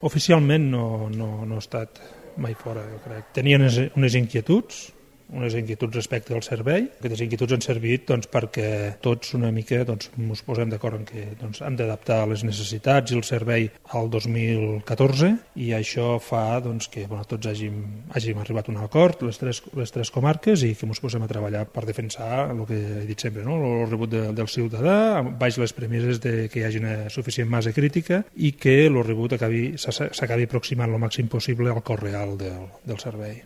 Oficialment no he estat mai fora, jo crec. Tenia unes inquietuds respecte al servei. Aquestes inquietuds han servit perquè tots una mica ens posem d'acord en que hem d'adaptar les necessitats i el servei al 2014 i això fa que tots hàgim arribat a un acord, les tres comarques, i que ens posem a treballar per defensar el que he dit sempre, el rebut del ciutadà, baix les premisses que hi hagi una suficient massa crítica i que el rebut s'acabi aproximant el màxim possible al cost real del servei.